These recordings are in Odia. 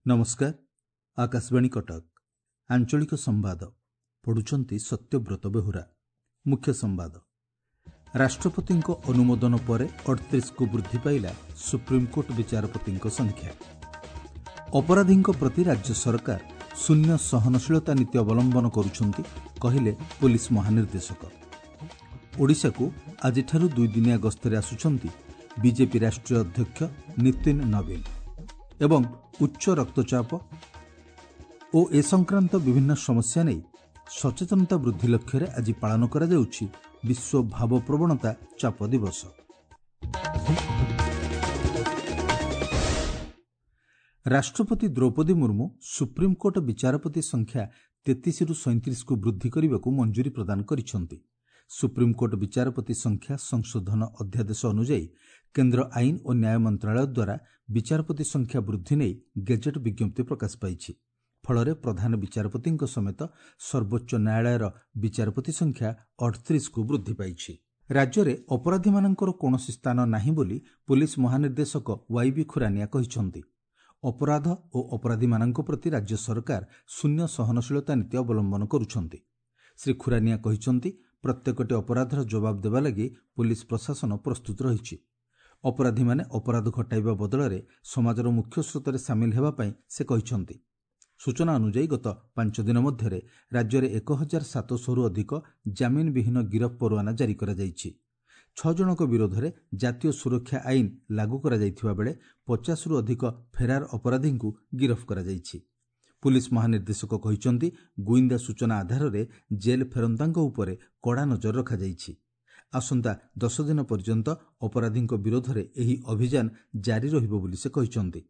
ନମସ୍କାର, ଆକାଶବାଣୀ କଟକ, ଆଞ୍ଚଳିକ ସମ୍ବାଦ ପଢୁଛନ୍ତି ସତ୍ୟବ୍ରତ ବେହୁରା। ମୁଖ୍ୟ ସମ୍ବାଦ। ରାଷ୍ଟ୍ରପତିଙ୍କ ଅନୁମୋଦନ ପରେ 38କୁ ବୃଦ୍ଧି ପାଇଲା ସୁପ୍ରିମକୋର୍ଟ ବିଚାରପତିଙ୍କ ସଂଖ୍ୟା। ଅପରାଧୀଙ୍କ ପ୍ରତି ରାଜ୍ୟ ସରକାର ଶୂନ୍ୟ ସହନଶୀଳତା ନୀତି ଅବଲମ୍ବନ କରୁଛନ୍ତି, କହିଲେ ପୋଲିସ ମହାନିର୍ଦ୍ଦେଶକ। ଓଡ଼ିଶାକୁ ଆଜିଠାରୁ ଦୁଇଦିନିଆ ଗସ୍ତରେ ଆସୁଛନ୍ତି ବିଜେପି ରାଷ୍ଟ୍ରୀୟ ଅଧ୍ୟକ୍ଷ ନୀତିନ ନବୀନ। ଏବଂ ଉଚ୍ଚ ରକ୍ତଚାପ ଓ ଏ ସଂକ୍ରାନ୍ତ ବିଭିନ୍ନ ସମସ୍ୟା ନେଇ ସଚେତନତା ବୃଦ୍ଧି ଲକ୍ଷ୍ୟରେ ଆଜି ପାଳନ କରାଯାଉଛି ବିଶ୍ୱ ଭାବପ୍ରବଣତା ଚାପ ଦିବସ। ରାଷ୍ଟ୍ରପତି ଦ୍ରୌପଦୀ ମୁର୍ମୁ ସୁପ୍ରିମକୋର୍ଟ ବିଚାରପତି ସଂଖ୍ୟା 33ରୁ 37କୁ ବୃଦ୍ଧି କରିବାକୁ ମଞ୍ଜୁରୀ ପ୍ରଦାନ କରିଛନ୍ତି। ସୁପ୍ରିମକୋର୍ଟ ବିଚାରପତି ସଂଖ୍ୟା ସଂଶୋଧନ ଅଧ୍ୟାଦେଶ ଅନୁଯାୟୀ କେନ୍ଦ୍ର ଆଇନ ଓ ନ୍ୟାୟ ମନ୍ତ୍ରଣାଳୟ ଦ୍ୱାରା ବିଚାରପତି ସଂଖ୍ୟା ବୃଦ୍ଧି ନେଇ ଗେଜେଟ୍ ବିଜ୍ଞପ୍ତି ପ୍ରକାଶ ପାଇଛି। ଫଳରେ ପ୍ରଧାନ ବିଚାରପତିଙ୍କ ସମେତ ସର୍ବୋଚ୍ଚ ନ୍ୟାୟାଳୟର ବିଚାରପତି ସଂଖ୍ୟା 38କୁ ବୃଦ୍ଧି ପାଇଛି। ରାଜ୍ୟରେ ଅପରାଧୀମାନଙ୍କର କୌଣସି ସ୍ଥାନ ନାହିଁ ବୋଲି ପୋଲିସ ମହାନିର୍ଦ୍ଦେଶକ ୱାଇବି ଖୁରାନିଆ କହିଛନ୍ତି। ଅପରାଧ ଓ ଅପରାଧୀମାନଙ୍କ ପ୍ରତି ରାଜ୍ୟ ସରକାର ଶୂନ୍ୟ ସହନଶୀଳତା ନୀତି ଅବଲମ୍ବନ କରୁଛନ୍ତି। ଶ୍ରୀ ଖୁରାନିଆ କହିଛନ୍ତି, ପ୍ରତ୍ୟେକଟି ଅପରାଧର ଜବାବ ଦେବା ଲାଗି ପୋଲିସ ପ୍ରଶାସନ ପ୍ରସ୍ତୁତ ରହିଛି। ଅପରାଧୀମାନେ ଅପରାଧ ଘଟାଇବା ବଦଳରେ ସମାଜର ମୁଖ୍ୟ ସ୍ରୋତରେ ସାମିଲ ହେବା ପାଇଁ ସେ କହିଛନ୍ତି। ସୂଚନା ଅନୁଯାୟୀ ଗତ 5 ଦିନ ମଧ୍ୟରେ ରାଜ୍ୟରେ 1700ରୁ ଅଧିକ ଜାମିନବିହୀନ ଗିରଫ ପରୱାନା ଜାରି କରାଯାଇଛି। 6 ଜଣଙ୍କ ବିରୋଧରେ ଜାତୀୟ ସୁରକ୍ଷା ଆଇନ ଲାଗୁ କରାଯାଇଥିବା ବେଳେ 50ରୁ ଅଧିକ ଫେରାର ଅପରାଧୀଙ୍କୁ ଗିରଫ କରାଯାଇଛି। ପୁଲିସ ମହାନିର୍ଦ୍ଦେଶକ କହିଛନ୍ତି, ଗୁଇନ୍ଦା ସୂଚନା ଆଧାରରେ ଜେଲ୍ ଫେରନ୍ତାଙ୍କ ଉପରେ କଡ଼ା ନଜର ରଖାଯାଇଛି। ଆସନ୍ତା 10 ଦିନ ପର୍ଯ୍ୟନ୍ତ ଅପରାଧୀଙ୍କ ବିରୋଧରେ ଏହି ଅଭିଯାନ ଜାରି ରହିବ ବୋଲି ସେ କହିଛନ୍ତି।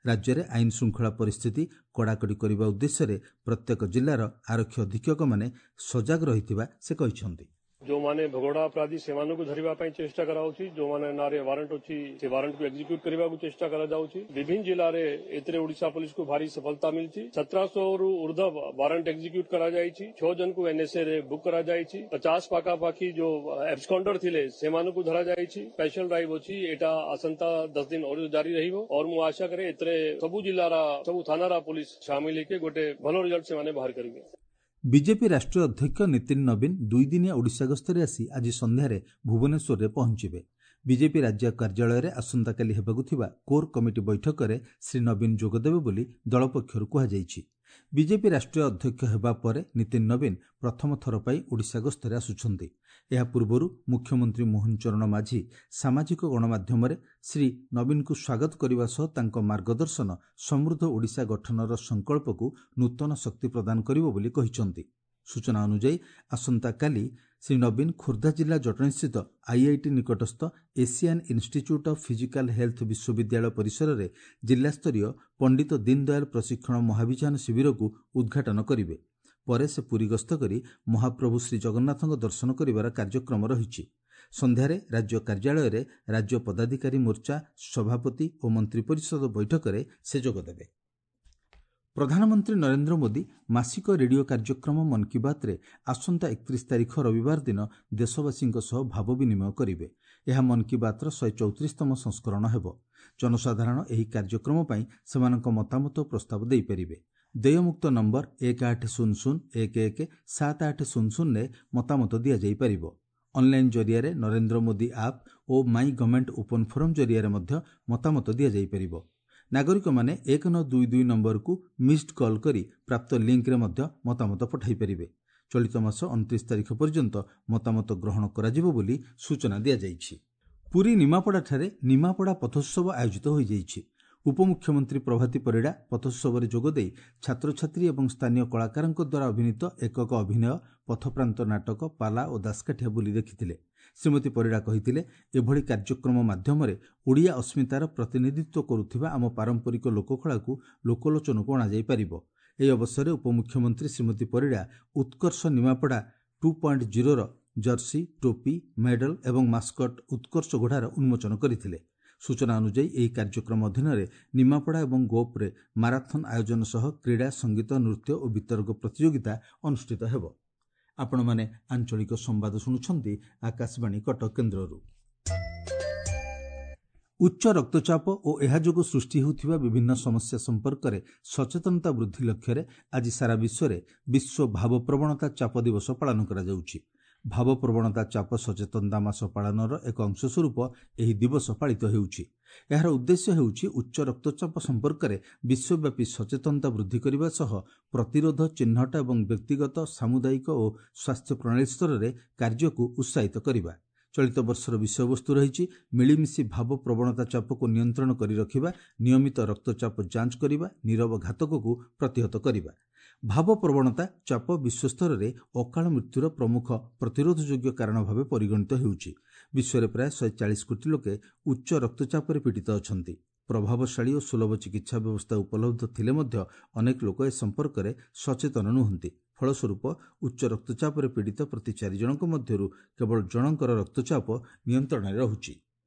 ରାଜ୍ୟରେ ଆଇନ ଶୃଙ୍ଖଳା ପରିସ୍ଥିତି କଡ଼ାକଡ଼ି କରିବା ଉଦ୍ଦେଶ୍ୟରେ ପ୍ରତ୍ୟେକ ଜିଲ୍ଲାର ଆରକ୍ଷୀ ଅଧୀକ୍ଷକମାନେ ସଜାଗ ରହିଥିବା ସେ କହିଛନ୍ତି। ଯେଉଁମାନେ ଭଗୋଡ଼ା ଅପରାଧୀ ସେମାନଙ୍କୁ ଧରିବା ପାଇଁ ଚେଷ୍ଟା କରାଯାଉଛି, ଯେଉଁମାନେ ନାଁରେ ୱାରେଣ୍ଟ ଅଛି ସେ ୱାରେଣ୍ଟକୁ ଏକ୍ଜିକ୍ୟୁଟ କରିବାକୁ ଚେଷ୍ଟା କରାଯାଉଛି। ବିଭିନ୍ନ ଜିଲ୍ଲାରେ ଏଥିରେ ଓଡ଼ିଶା ପୋଲିସକୁ ଭାରି ସଫଳତା ମିଳିଛି। 1700ରୁ ଉର୍ଦ୍ଧ୍ୱ ୱାରେଣ୍ଟ ଏକ୍ଜିକ୍ୟୁଟ କରାଯାଇଛି। 6 ଜଣଙ୍କୁ ଏନ୍ଏସ୍ଏ ରେ ବୁକ୍ କରାଯାଇଛି। 50 ପାଖାପାଖି ଯୋଉ ଆବସ୍କଣ୍ଡର ଥିଲେ ସେମାନଙ୍କୁ ଧରାଯାଇଛି। ସ୍ପେଶାଲ ଡ୍ରାଇଭ୍ ଅଛି, ଏଇଟା ଆସନ୍ତା 10 ଦିନ ଜାରି ରହିବ। और ମୁଁ ଆଶା କରେ ଏଥିରେ ସବୁ ଜିଲ୍ଲାର ସବୁ ଥାନାର ପୋଲିସ ସାମିଲ ହେଇକି ଗୋଟେ ଭଲ ରିଜଲ୍ଟ ସେମାନେ ବାହାର କରିବେ। ବିଜେପି ରାଷ୍ଟ୍ରୀୟ ଅଧ୍ୟକ୍ଷ ନୀତିନ ନବୀନ ଦୁଇଦିନିଆ ଓଡ଼ିଶା ଗସ୍ତରେ ଆସି ଆଜି ସନ୍ଧ୍ୟାରେ ଭୁବନେଶ୍ୱରରେ ପହଞ୍ଚିବେ। ବିଜେପି ରାଜ୍ୟ କାର୍ଯ୍ୟାଳୟରେ ଆସନ୍ତାକାଲି ହେବାକୁ ଥିବା କୋର୍ କମିଟି ବୈଠକରେ ଶ୍ରୀ ନବୀନ ଯୋଗଦେବେ ବୋଲି ଦଳ ପକ୍ଷରୁ କୁହାଯାଇଛି। ବିଜେପି ରାଷ୍ଟ୍ରୀୟ ଅଧ୍ୟକ୍ଷ ହେବା ପରେ ନୀତିନ ନବୀନ ପ୍ରଥମ ଥର ପାଇଁ ଓଡ଼ିଶା ଗସ୍ତରେ ଆସୁଛନ୍ତି। ଏହା ପୂର୍ବରୁ ମୁଖ୍ୟମନ୍ତ୍ରୀ ମୋହନ ଚରଣ ମାଝୀ ସାମାଜିକ ଗଣମାଧ୍ୟମରେ ଶ୍ରୀ ନବୀନଙ୍କୁ ସ୍ୱାଗତ କରିବା ସହ ତାଙ୍କ ମାର୍ଗଦର୍ଶନ ସମୃଦ୍ଧ ଓଡ଼ିଶା ଗଠନର ସଂକଳ୍ପକୁ ନୂତନ ଶକ୍ତି ପ୍ରଦାନ କରିବ ବୋଲି କହିଛନ୍ତି। ସୂଚନା ଅନୁଯାୟୀ ଆସନ୍ତାକାଲି ଶ୍ରୀ ନବୀନ ଖୋର୍ଦ୍ଧା ଜିଲ୍ଲା ଜଟଣୀସ୍ଥିତ ଆଇଆଇଟି ନିକଟସ୍ଥ Asian institute of physical health ବିଶ୍ୱବିଦ୍ୟାଳୟ ପରିସରରେ ଜିଲ୍ଲାସ୍ତରୀୟ ପଣ୍ଡିତ ଦୀନଦୟାଲ ପ୍ରଶିକ୍ଷଣ ମହାଭିଯାନ ଶିବିରକୁ ଉଦ୍ଘାଟନ କରିବେ। ପରେ ସେ ପୁରୀ ଗସ୍ତ କରି ମହାପ୍ରଭୁ ଶ୍ରୀଜଗନ୍ନାଥଙ୍କ ଦର୍ଶନ କରିବାର କାର୍ଯ୍ୟକ୍ରମ ରହିଛି। ସନ୍ଧ୍ୟାରେ ରାଜ୍ୟ କାର୍ଯ୍ୟାଳୟରେ ରାଜ୍ୟ ପଦାଧିକାରୀ ମୋର୍ଚ୍ଚା ସଭାପତି ଓ ମନ୍ତ୍ରିପରିଷଦ ବୈଠକରେ ସେ ଯୋଗଦେବେ। ପ୍ରଧାନମନ୍ତ୍ରୀ ନରେନ୍ଦ୍ର ମୋଦି ମାସିକ ରେଡିଓ କାର୍ଯ୍ୟକ୍ରମ ମନ୍ କି ବାତ୍ରେ ଆସନ୍ତା 31 ତାରିଖ ରବିବାର ଦିନ ଦେଶବାସୀଙ୍କ ସହ ଭାବ ବିନିମୟ କରିବେ। ଏହା ମନ୍ କି ବାତ୍ର 134ତମ ସଂସ୍କରଣ ହେବ। ଜନସାଧାରଣ ଏହି କାର୍ଯ୍ୟକ୍ରମ ପାଇଁ ସେମାନଙ୍କ ମତାମତ ଓ ପ୍ରସ୍ତାବ ଦେଇପାରିବେ। ଦେୟମୁକ୍ତ ନମ୍ବର 1800 11 7800ରେ ମତାମତ ଦିଆଯାଇପାରିବ। ଅନ୍ଲାଇନ୍ ଜରିଆରେ ନରେନ୍ଦ୍ର ମୋଦି ଆପ୍ ଓ ମାଇ ଗଭର୍ଣ୍ଣମେଣ୍ଟ ଓପନ୍ ଫୋରମ୍ ଜରିଆରେ ମଧ୍ୟ ମତାମତ ଦିଆଯାଇପାରିବ। ନାଗରିକମାନେ 1922 ନମ୍ବରକୁ ମିସ୍ଡ କଲ୍ କରି ପ୍ରାପ୍ତ ଲିଙ୍କରେ ମଧ୍ୟ ମତାମତ ପଠାଇ ପାରିବେ। ଚଳିତ ମାସ 29 ତାରିଖ ପର୍ଯ୍ୟନ୍ତ ମତାମତ ଗ୍ରହଣ କରାଯିବ ବୋଲି ସୂଚନା ଦିଆଯାଇଛି। ପୁରୀ ନିମାପଡ଼ାଠାରେ ନିମାପଡ଼ା ପଥୋତ୍ସବ ଆୟୋଜିତ ହୋଇଯାଇଛି। ଉପମୁଖ୍ୟମନ୍ତ୍ରୀ ପ୍ରଭାତୀ ପରିଡ଼ା ପଥୋତ୍ସବରେ ଯୋଗଦେଇ ଛାତ୍ରଛାତ୍ରୀ ଏବଂ ସ୍ଥାନୀୟ କଳାକାରଙ୍କ ଦ୍ୱାରା ଅଭିନୀତ ଏକକ ଅଭିନୟ, ପଥପ୍ରାନ୍ତ ନାଟକ, ପାଲା ଓ ଦାସକାଠିଆ ବୁଲି ଦେଖିଥିଲେ। ଶ୍ରୀମତୀ ପରିଡ଼ା କହିଥିଲେ, ଏଭଳି କାର୍ଯ୍ୟକ୍ରମ ମାଧ୍ୟମରେ ଓଡ଼ିଆ ଅସ୍ମିତାର ପ୍ରତିନିଧିତ୍ୱ କରୁଥିବା ଆମ ପାରମ୍ପରିକ ଲୋକକଳାକୁ ଲୋକଲୋଚନକୁ ଅଣାଯାଇପାରିବ। ଏହି ଅବସରରେ ଉପମୁଖ୍ୟମନ୍ତ୍ରୀ ଶ୍ରୀମତୀ ପରିଡ଼ା ଉତ୍କର୍ଷ ନିମାପଡ଼ା 2.0ର ଜର୍ସି, ଟୋପି, ମେଡାଲ ଏବଂ ମାସ୍କଟ ଉତ୍କର୍ଷ ଘୋଡ଼ାର ଉନ୍ମୋଚନ କରିଥିଲେ। ସୂଚନା ଅନୁଯାୟୀ ଏହି କାର୍ଯ୍ୟକ୍ରମ ଅଧୀନରେ ନିମାପଡ଼ା ଏବଂ ଗୋପରେ ମାରାଥନ୍ ଆୟୋଜନ ସହ କ୍ରୀଡ଼ା, ସଙ୍ଗୀତ, ନୃତ୍ୟ ଓ ବିତର୍କ ପ୍ରତିଯୋଗିତା ଅନୁଷ୍ଠିତ ହେବ। ଆପଣମାନେ ଆଞ୍ଚଳିକ ସମ୍ବାଦ ଶୁଣୁଛନ୍ତି ଆକାଶବାଣୀ କଟକ କେନ୍ଦ୍ରରୁ। ଉଚ୍ଚ ରକ୍ତଚାପ ଓ ଏହା ଯୋଗୁଁ ସୃଷ୍ଟି ହେଉଥିବା ବିଭିନ୍ନ ସମସ୍ୟା ସମ୍ପର୍କରେ ସଚେତନତା ବୃଦ୍ଧି ଲକ୍ଷ୍ୟରେ ଆଜି ସାରା ବିଶ୍ୱରେ ବିଶ୍ୱ ଭାବପ୍ରବଣତା ଚାପ ଦିବସ ପାଳନ କରାଯାଉଛି। ଭାବପ୍ରବଣତା ଚାପ ସଚେତନତା ମାସ ପାଳନର ଏକ ଅଂଶସ୍ୱରୂପ ଏହି ଦିବସ ପାଳିତ ହେଉଛି। ଏହାର ଉଦ୍ଦେଶ୍ୟ ହେଉଛି ଉଚ୍ଚ ରକ୍ତଚାପ ସମ୍ପର୍କରେ ବିଶ୍ୱବ୍ୟାପୀ ସଚେତନତା ବୃଦ୍ଧି କରିବା ସହ ପ୍ରତିରୋଧ, ଚିହ୍ନଟ ଏବଂ ବ୍ୟକ୍ତିଗତ, ସାମୁଦାୟିକ ଓ ସ୍ୱାସ୍ଥ୍ୟ ପ୍ରଣାଳୀ ସ୍ତରରେ କାର୍ଯ୍ୟକୁ ଉତ୍ସାହିତ କରିବା। ଚଳିତ ବର୍ଷର ବିଷୟବସ୍ତୁ ରହିଛି ମିଳିମିଶି ଭାବପ୍ରବଣତା ଚାପକୁ ନିୟନ୍ତ୍ରଣ କରି ରଖିବା, ନିୟମିତ ରକ୍ତଚାପ ଯାଞ୍ଚ କରିବା, ନୀରବ ଘାତକକୁ ପ୍ରତିହତ କରିବା। ଭାବପ୍ରବଣତା ଚାପ ବିଶ୍ୱସ୍ତରରେ ଅକାଳ ମୃତ୍ୟୁର ପ୍ରମୁଖ ପ୍ରତିରୋଧଯୋଗ୍ୟ କାରଣ ଭାବେ ପରିଗଣିତ ହେଉଛି। ବିଶ୍ୱରେ ପ୍ରାୟ 140 କୋଟି ଲୋକେ ଉଚ୍ଚ ରକ୍ତଚାପରେ ପୀଡ଼ିତ ଅଛନ୍ତି। ପ୍ରଭାବଶାଳୀ ଓ ସୁଲଭ ଚିକିତ୍ସା ବ୍ୟବସ୍ଥା ଉପଲବ୍ଧ ଥିଲେ ମଧ୍ୟ ଅନେକ ଲୋକ ଏ ସମ୍ପର୍କରେ ସଚେତନ ନୁହନ୍ତି। ଫଳସ୍ୱରୂପ ଉଚ୍ଚ ରକ୍ତଚାପରେ ପୀଡ଼ିତ ପ୍ରତି 4 ଜଣଙ୍କ ମଧ୍ୟରୁ କେବଳ ଜଣଙ୍କର ରକ୍ତଚାପ ନିୟନ୍ତ୍ରଣରେ ରହୁଛି।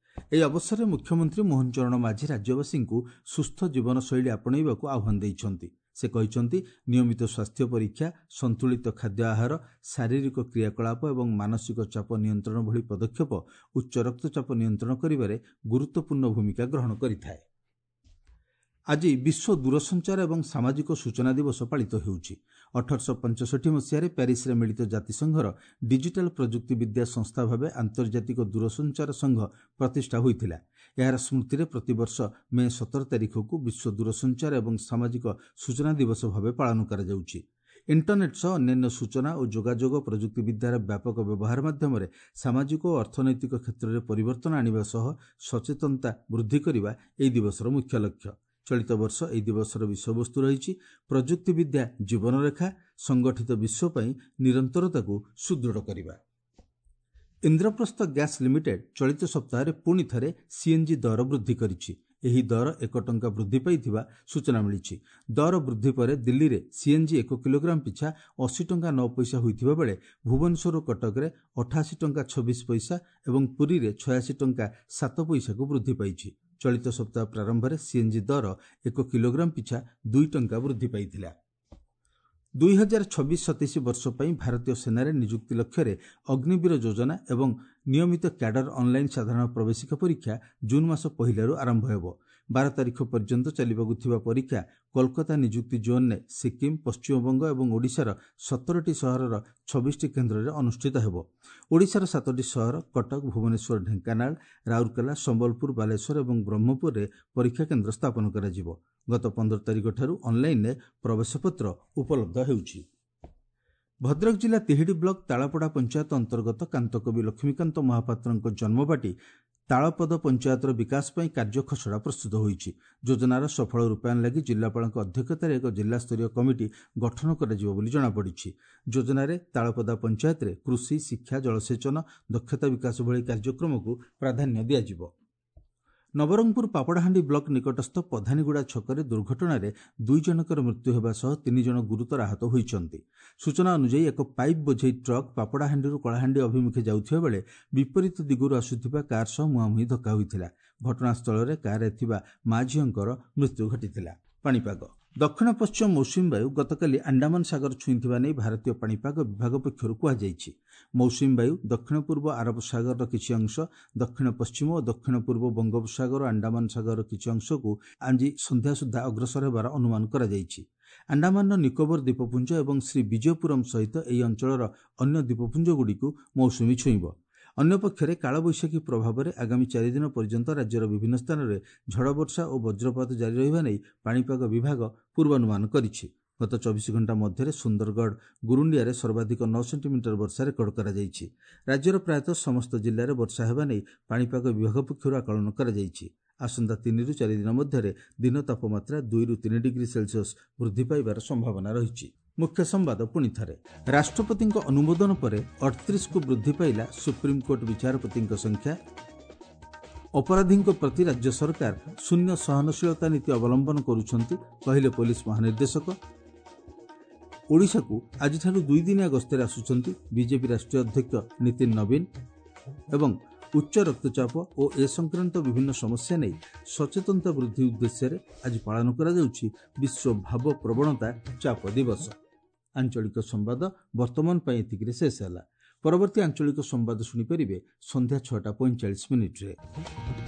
ଏହି ଅବସରରେ ମୁଖ୍ୟମନ୍ତ୍ରୀ ମୋହନ ଚରଣ ମାଝୀ ରାଜ୍ୟବାସୀଙ୍କୁ ସୁସ୍ଥ ଜୀବନଶୈଳୀ ଆପଣେଇବାକୁ ଆହ୍ୱାନ ଦେଇଛନ୍ତି। ସେ କହିଛନ୍ତି, ନିୟମିତ ସ୍ୱାସ୍ଥ୍ୟ ପରୀକ୍ଷା, ସନ୍ତୁଳିତ ଖାଦ୍ୟ ଆହାର, ଶାରୀରିକ କ୍ରିୟାକଳାପ ଏବଂ ମାନସିକ ଚାପ ନିୟନ୍ତ୍ରଣ ଭଳି ପଦକ୍ଷେପ ଉଚ୍ଚ ରକ୍ତଚାପ ନିୟନ୍ତ୍ରଣ କରିବାରେ ଗୁରୁତ୍ୱପୂର୍ଣ୍ଣ ଭୂମିକା ଗ୍ରହଣ କରିଥାଏ। ଆଜି ବିଶ୍ୱ ଦୂରସଞ୍ଚାର ଏବଂ ସାମାଜିକ ସୂଚନା ଦିବସ ପାଳିତ ହେଉଛି। 1865 ମସିହାରେ ପ୍ୟାରିସରେ ମିଳିତ ଜାତିସଂଘର ଡିଜିଟାଲ ପ୍ରଯୁକ୍ତିବିଦ୍ୟା ସଂସ୍ଥା ଭାବେ ଆନ୍ତର୍ଜାତିକ ଦୂରସଞ୍ଚାର ସଂଘ ପ୍ରତିଷ୍ଠା ହୋଇଥିଲା। ଏହାର ସ୍ମୃତିରେ ପ୍ରତିବର୍ଷ ମେ 17 ତାରିଖକୁ ବିଶ୍ୱ ଦୂରସଞ୍ଚାର ଏବଂ ସାମାଜିକ ସୂଚନା ଦିବସ ଭାବେ ପାଳନ କରାଯାଉଛି। ଇଣ୍ଟରନେଟ୍ ସହ ଅନ୍ୟାନ୍ୟ ସୂଚନା ଓ ଯୋଗାଯୋଗ ପ୍ରଯୁକ୍ତିବିଦ୍ୟାର ବ୍ୟାପକ ବ୍ୟବହାର ମାଧ୍ୟମରେ ସାମାଜିକ ଓ ଅର୍ଥନୈତିକ କ୍ଷେତ୍ରରେ ପରିବର୍ତ୍ତନ ଆଣିବା ସହ ସଚେତନତା ବୃଦ୍ଧି କରିବା ଏହି ଦିବସର ମୁଖ୍ୟ ଲକ୍ଷ୍ୟ। ଚଳିତ ବର୍ଷ ଏହି ଦିବସର ବିଷୟବସ୍ତୁ ରହିଛି ପ୍ରଯୁକ୍ତିବିଦ୍ୟା ଜୀବନରେଖା, ସଂଗଠିତ ବିଶ୍ୱ ପାଇଁ ନିରନ୍ତରତାକୁ ସୁଦୃଢ଼ କରିବା। ଇନ୍ଦ୍ରପ୍ରସ୍ଥ ଗ୍ୟାସ୍ ଲିମିଟେଡ୍ ଚଳିତ ସପ୍ତାହରେ ପୁଣି ଥରେ ସିଏନ୍ଜି ଦର ବୃଦ୍ଧି କରିଛି। ଏହି ଦର 1 ଟଙ୍କା ବୃଦ୍ଧି ପାଇଥିବା ସୂଚନା ମିଳିଛି। ଦର ବୃଦ୍ଧି ପରେ ଦିଲ୍ଲୀରେ ସିଏନ୍ଜି 1 କିଲୋଗ୍ରାମ ପିଛା 80 ଟଙ୍କା 9 ପଇସା ହୋଇଥିବା ବେଳେ ଭୁବନେଶ୍ୱର ଓ କଟକରେ 88 ଟଙ୍କା 26 ପଇସା ଏବଂ ପୁରୀରେ 86 ଟଙ୍କା 7 ପଇସାକୁ ବୃଦ୍ଧି ପାଇଛି। ଚଳିତ ସପ୍ତାହ ପ୍ରାରମ୍ଭରେ ସିଏନ୍ଜି ଦର 1 କିଲୋଗ୍ରାମ ପିଛା 2 ଟଙ୍କା ବୃଦ୍ଧି ପାଇଥିଲା। 2026-27 ବର୍ଷ ପାଇଁ ଭାରତୀୟ ସେନାରେ ନିଯୁକ୍ତି ଲକ୍ଷ୍ୟରେ ଅଗ୍ନିବୀର ଯୋଜନା ଏବଂ ନିୟମିତ କ୍ୟାଡର ଅନ୍ଲାଇନ୍ ସାଧାରଣ ପ୍ରବେଶିକା ପରୀକ୍ଷା ଜୁନ୍ ମାସ 1ରୁ ଆରମ୍ଭ ହେବ। 12 ତାରିଖ ପର୍ଯ୍ୟନ୍ତ ଚାଲିବାକୁ ଥିବା ପରୀକ୍ଷା କୋଲକାତା ନିଯୁକ୍ତି ଜୋନ୍ରେ ସିକିମ୍, ପଶ୍ଚିମବଙ୍ଗ ଏବଂ ଓଡ଼ିଶାର 17ଟି ସହରର 26ଟି କେନ୍ଦ୍ରରେ ଅନୁଷ୍ଠିତ ହେବ। ଓଡ଼ିଶାର 7ଟି ସହର କଟକ, ଭୁବନେଶ୍ୱର, ଢେଙ୍କାନାଳ, ରାଉରକେଲା, ସମ୍ବଲପୁର, ବାଲେଶ୍ୱର ଏବଂ ବ୍ରହ୍ମପୁରରେ ପରୀକ୍ଷା କେନ୍ଦ୍ର ସ୍ଥାପନ କରାଯିବ। ଗତ 15 ତାରିଖଠାରୁ ଅନ୍ଲାଇନ୍ରେ ପ୍ରବେଶପତ୍ର ଉପଲବ୍ଧ ହେଉଛି। ଭଦ୍ରକ ଜିଲ୍ଲା ତିହିଡ଼ି ବ୍ଲକ ତାଳପଡ଼ା ପଞ୍ଚାୟତ ଅନ୍ତର୍ଗତ କାନ୍ତକବି ଲକ୍ଷ୍ମୀକାନ୍ତ ମହାପାତ୍ରଙ୍କ ଜନ୍ମବାଟି ତାଳପଦ ପଞ୍ଚାୟତର ବିକାଶ ପାଇଁ କାର୍ଯ୍ୟ ଖସଡ଼ା ପ୍ରସ୍ତୁତ ହୋଇଛି। ଯୋଜନାର ସଫଳ ରୂପାୟନ ଲାଗି ଜିଲ୍ଲାପାଳଙ୍କ ଅଧ୍ୟକ୍ଷତାରେ ଏକ ଜିଲ୍ଲାସ୍ତରୀୟ କମିଟି ଗଠନ କରାଯିବ ବୋଲି ଜଣାପଡ଼ିଛି। ଯୋଜନାରେ ତାଳପଦା ପଞ୍ଚାୟତରେ କୃଷି, ଶିକ୍ଷା, ଜଳସେଚନ, ଦକ୍ଷତା ବିକାଶ ଭଳି କାର୍ଯ୍ୟକ୍ରମକୁ ପ୍ରାଧାନ୍ୟ ଦିଆଯିବ। ନବରଙ୍ଗପୁର ପାପଡ଼ାହାଣ୍ଡି ବ୍ଲକ ନିକଟସ୍ଥ ପଧାନୀଗୁଡ଼ା ଛକରେ ଦୁର୍ଘଟଣାରେ 2 ଜଣଙ୍କର ମୃତ୍ୟୁ ହେବା ସହ 3 ଜଣ ଗୁରୁତର ଆହତ ହୋଇଛନ୍ତି। ସୂଚନା ଅନୁଯାୟୀ ଏକ ପାଇପ୍ ବୋଝେଇ ଟ୍ରକ୍ ପାପଡ଼ାହାଣ୍ଡିରୁ କଳାହାଣ୍ଡି ଅଭିମୁଖେ ଯାଉଥିବା ବେଳେ ବିପରୀତ ଦିଗରୁ ଆସୁଥିବା କାର୍ ସହ ମୁହାଁମୁହିଁ ଧକ୍କା ହୋଇଥିଲା। ଘଟଣାସ୍ଥଳରେ କାର୍ରେ ଥିବା ମା ଝିଅଙ୍କର ମୃତ୍ୟୁ ଘଟିଥିଲା। ପାଣିପାଗ ଦକ୍ଷିଣ ପଶ୍ଚିମ ମୌସୁମୀ ବାୟୁ ଗତକାଲି ଆଣ୍ଡାମାନ ସାଗର ଛୁଇଁଥିବା ନେଇ ଭାରତୀୟ ପାଣିପାଗ ବିଭାଗ ପକ୍ଷରୁ କୁହାଯାଇଛି। ମୌସୁମୀ ବାୟୁ ଦକ୍ଷିଣ ପୂର୍ବ ଆରବ ସାଗରର କିଛି ଅଂଶ, ଦକ୍ଷିଣ ପଶ୍ଚିମ ଓ ଦକ୍ଷିଣ ପୂର୍ବ ବଙ୍ଗୋପସାଗର ଓ ଆଣ୍ଡାମାନ ସାଗରର କିଛି ଅଂଶକୁ ଆଜି ସନ୍ଧ୍ୟା ସୁଦ୍ଧା ଅଗ୍ରସର ହେବାର ଅନୁମାନ କରାଯାଇଛି। ଆଣ୍ଡାମାନର ନିକୋବର ଦ୍ୱୀପପୁଞ୍ଜ ଏବଂ ଶ୍ରୀ ବିଜୟପୁରମ୍ ସହିତ ଏହି ଅଞ୍ଚଳର ଅନ୍ୟ ଦ୍ୱୀପପୁଞ୍ଜଗୁଡ଼ିକୁ ମୌସୁମୀ ଛୁଇଁବ। ଅନ୍ୟପକ୍ଷରେ କାଳବୈଶାଖୀ ପ୍ରଭାବରେ ଆଗାମୀ 4 ଦିନ ପର୍ଯ୍ୟନ୍ତ ରାଜ୍ୟର ବିଭିନ୍ନ ସ୍ଥାନରେ ଝଡ଼ବର୍ଷା ଓ ବଜ୍ରପାତ ଜାରି ରହିବା ନେଇ ପାଣିପାଗ ବିଭାଗ ପୂର୍ବାନୁମାନ କରିଛି। ଗତ 24 ଘଣ୍ଟା ମଧ୍ୟରେ ସୁନ୍ଦରଗଡ଼ ଗୁରୁଣ୍ଡିଆରେ ସର୍ବାଧିକ 9 ସେଣ୍ଟିମିଟର ବର୍ଷା ରେକର୍ଡ କରାଯାଇଛି। ରାଜ୍ୟର ପ୍ରାୟତଃ ସମସ୍ତ ଜିଲ୍ଲାରେ ବର୍ଷା ହେବା ନେଇ ପାଣିପାଗ ବିଭାଗ ପକ୍ଷରୁ ଆକଳନ କରାଯାଇଛି। ଆସନ୍ତା 3ରୁ 4 ଦିନ ମଧ୍ୟରେ ଦିନ ତାପମାତ୍ରା 2ରୁ 3 ଡିଗ୍ରୀ ସେଲସିୟସ୍ ବୃଦ୍ଧି ପାଇବାର ସମ୍ଭାବନା ରହିଛି। ମୁଖ୍ୟ ସମ୍ବାଦ ପୁଣି ଥରେ। ରାଷ୍ଟ୍ରପତିଙ୍କ ଅନୁମୋଦନ ପରେ 38କୁ ବୃଦ୍ଧି ପାଇଲା ସୁପ୍ରିମକୋର୍ଟ ବିଚାରପତିଙ୍କ ସଂଖ୍ୟା। ଅପରାଧୀଙ୍କ ପ୍ରତି ରାଜ୍ୟ ସରକାର ଶୂନ୍ୟ ସହନଶୀଳତା ନୀତି ଅବଲମ୍ବନ କରୁଛନ୍ତି, କହିଲେ ପୋଲିସ ମହାନିର୍ଦ୍ଦେଶକ। ଓଡ଼ିଶାକୁ ଆଜିଠାରୁ 2 ଦିନିଆ ଗସ୍ତରେ ଆସୁଛନ୍ତି ବିଜେପି ରାଷ୍ଟ୍ରୀୟ ଅଧ୍ୟକ୍ଷ ନୀତିନ ନବୀନ। ଏବଂ ଉଚ୍ଚ ରକ୍ତଚାପ ଓ ଏ ସଂକ୍ରାନ୍ତ ବିଭିନ୍ନ ସମସ୍ୟା ନେଇ ସଚେତନତା ବୃଦ୍ଧି ଉଦ୍ଦେଶ୍ୟରେ ଆଜି ପାଳନ କରାଯାଉଛି ବିଶ୍ୱ ଭାବ ପ୍ରବଣତା ଚାପ ଦିବସ। ଆଞ୍ଚଳିକ ସମ୍ବାଦ ବର୍ତ୍ତମାନ ପାଇଁ ଏତିକିରେ ଶେଷ ହେଲା। ପରବର୍ତ୍ତୀ ଆଞ୍ଚଳିକ ସମ୍ବାଦ ଶୁଣିପାରିବେ ସନ୍ଧ୍ୟା 6:45।